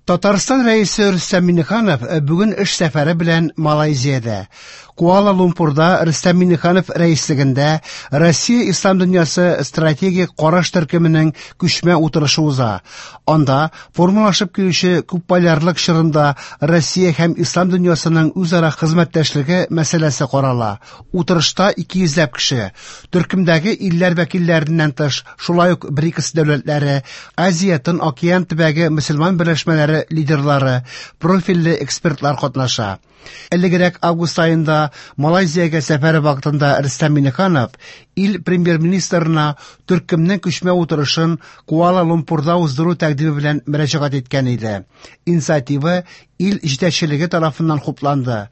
Татарстан Рәисе Рөстәм Миңнеханов бүген эш сәфәре белән Малайзиядә. Куала-Лумпурда Рөстәм Миңнеханов рәислегендә Россия ислам дөньясы стратегик караш төркеменең күчмә утырышы уза. Анда формалашып килүче күпполярлык чорында Россия һәм ислам дөньясының үзара хезмәттәшлеге мәсьәләсе карала. Утырышта 200 ләп кеше, төркемдәге илләр вәкилләреннән тыш, шулай ук БРИКС дәүләтләре, Азия-Тын океан төбәге мөселман берләшмәләре лидерлары, профильле экспертлар катнаша. Элегрәк август аенда Малайзиягә сәфәре вакытында Рөстәм Миңнеханов ил премьер-министрына төркемнең күчмә утырышын Куала-Лумпурда уздыру тәкъдиме белән мөрәҗәгать иткән иде. Инициатива ил җитәкчелеге тарафыннан хупланды.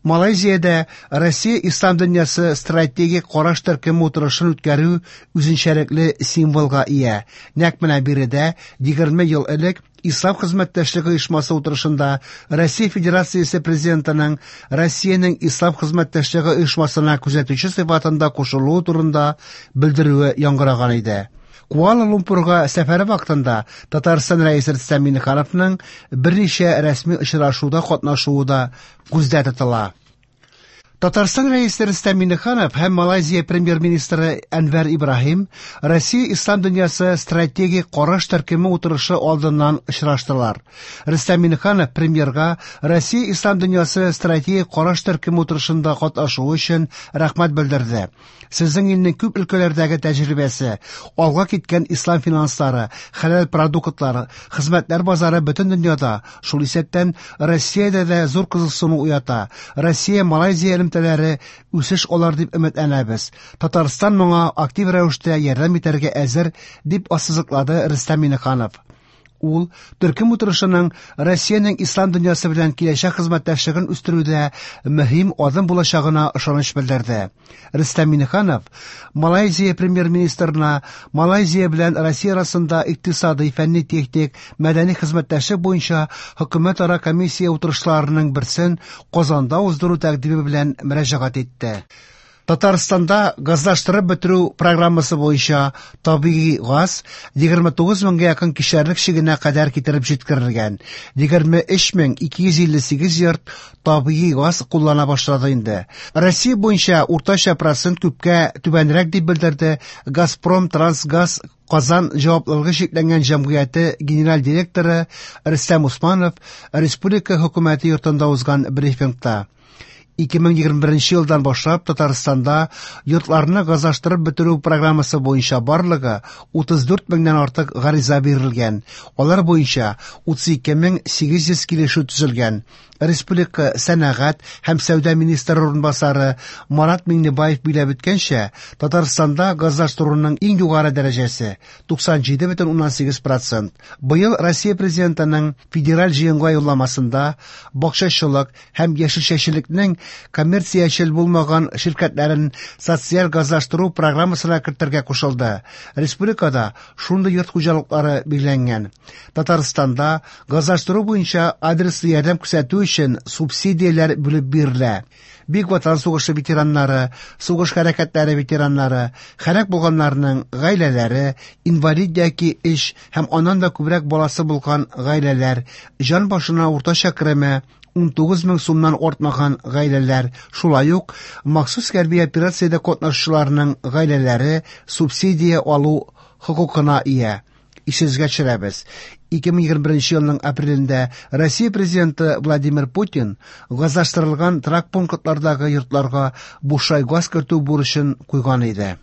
Малайзиядә Россия ислам дөньясы стратегик караш төркеме утырышын үткәрү үзенчәлекле символга ия. Нәкъ менә биредә 20 ел элек Ислам хезмәттәшлеге оешмасы утырышында Россия Федерациясе Президентының Россиянең Ислам хезмәттәшлеге оешмасына күзәтүче сыйфатында кушылуы турында белдерүе яңгыраган иде. Куала-Лумпурга сәфәре вакытында Татарстан Рәисе Рөстәм Миңнехановның берничә рәсми очрашуда катнашуы да күздә тотыла. Татарстан Рәисе Рөстәм Миңнеханов һәм Малайзия премьер-министры Әнвәр Ибраһим Россия ислам дөньясы стратегик караш төркеме утырышы алдыннан очраштылар. Рөстәм Миңнеханов премьерга Россия ислам дөньясы стратегик караш төркеме утырышында катнашуы өчен рәхмәт белдерде. Сезнең илнең күп өлкәләрдәге тәҗрибәсе, алга киткән ислам финанслары, хәләл продуктлары, хезмәтләр базары бөтен дөньяда, шул исәптән Россиядә дә зур кызыксыну уята. Россия-Малайзия элемтәләре үсеш алыр дип өметләнәбез. Татарстан моңа актив рәвештә ярдәм итәргә әзер, дип ассызыклады Рөстәм Миңнеханов. Ул төркем утырышының Россиянең ислам дөньясы белән киләчәк хезмәттәшлеген үстерүдә мөһим адым булачагына ышаныч белдерде. Рөстәм Миңнеханов Малайзия премьер-министрына Малайзия белән Россия арасында икътисадый, фәнни-техник, мәдәни хезмәттәшлек буенча хөкүмәтара комиссия утырышларының берсен Казанда уздыру тәкъдиме белән мөрәҗәгать итте. Татарстанда газлаштырып бетерү программасы буенча табигый газ 29 меңгә якын кишәрлек чигенә кадәр китереп җиткерелгән. 23258 йорт табигый газ куллана башлады инде. Россия буенча уртача процент күпкә түбәнрәк дип белдерде Газпром Трансгаз Казан җаваплылыгы чикләнгән җәмгыяте генераль директоры Рөстәм Усманов республика хөкүмәте йортында узган брифингта. 2021 елдан башлап Татарстанда йортларны газлаштырып бетерү программасы буенча барлыгы 34 меңнән артык гариза бирелгән. Алар буенча 32800 килешү төзелгән. Республика сәнәгать һәм сәүдә министры урынбасары Марат Миңнебаев биләп үткәнчә, Татарстанда газлаштыруның иң югары дәрәҗәсе 97,8%. Быел Россия Президентының федераль җыенга юлламасында бакчачылык һәм яшелчәчелекнең коммерциячел булмаган ширкәтләрен социаль газлаштыру программасына кертергә кушылды. Республикада шундый йорт хуҗалыклары билгеләнгән. Татарстанда газлаштыру буенча адреслы ярдәм күрсәтү өчен субсидияләр бүлеп бирелә. Бөек Ватан сугышы ветераннары, сугыш хәрәкәтләре ветераннары, һәлак булганнарның гаиләләре, инвалид яки өч һәм аннан да күбрәк баласы булган гаиләләр, җан башына уртача кереме 19 мең сумнан артмаган гаиләләр, шулай ук махсус хәрби операциядә катнашучыларның гаиләләре субсидия алу хокукына ия. Исегезгә төшерәбез, 2021 елның апрелендә Россия Президенты Владимир Путин газлаштырылган торак пунктлардагы йортларга бушлай газ кертү бурычын куйган иде.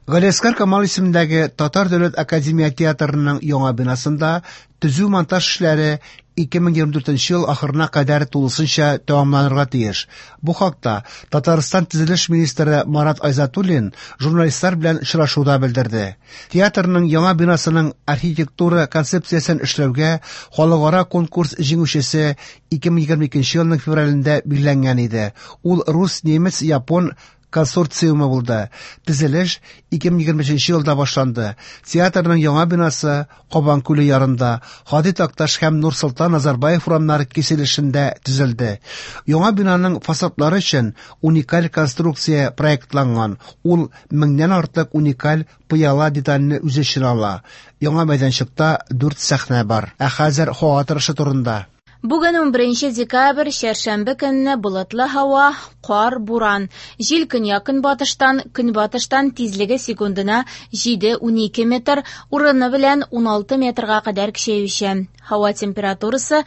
Галиәсгар Камал исемендәге Татар дәүләт академия театрының яңа бинасында төзү-монтаж эшләре 2024 ел ахырына кадәр тулысынча тәмамланырга тиеш. Бу хакта Татарстан төзелеш министры Марат Айзатуллин журналистлар белән очрашуда белдерде. Театрның яңа бинасының архитектура концепциясен эшләүгә халыкара конкурс җиңүчесе 2022 елның февралендә билгеләнгән иде. Ул рус, немец, япон консорциумы булды. Төзелеш 2023 елда башланды. Театрның яңа бинасы Кабан күле ярында, Һади Такташ һәм Нурсолтан Назарбаев урамнары киселешендә төзелде. Яңа бинаның фасадлары өчен уникаль конструкция проектланган. Ул меңнән артык уникаль пыяла детальне үз эченә ала. Яңа мәйданчыкта дүрт сәхнә бар. Ә хәзер һава торышы турында. Бүген 11 декабрь, чәршәмбе көнне болытлы һава, кар, буран. Җил көньяк-көнбатыштан, көнбатыштан тизлеге секундына 7-12 метр, урыны белән 16 метрга кадәр көчәючән. Һава температурасы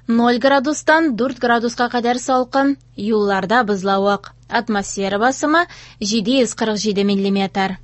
0 градустан 4 градуска кадәр салкын, юлларда бозлавык. Атмосфера басымы 747 миллиметр.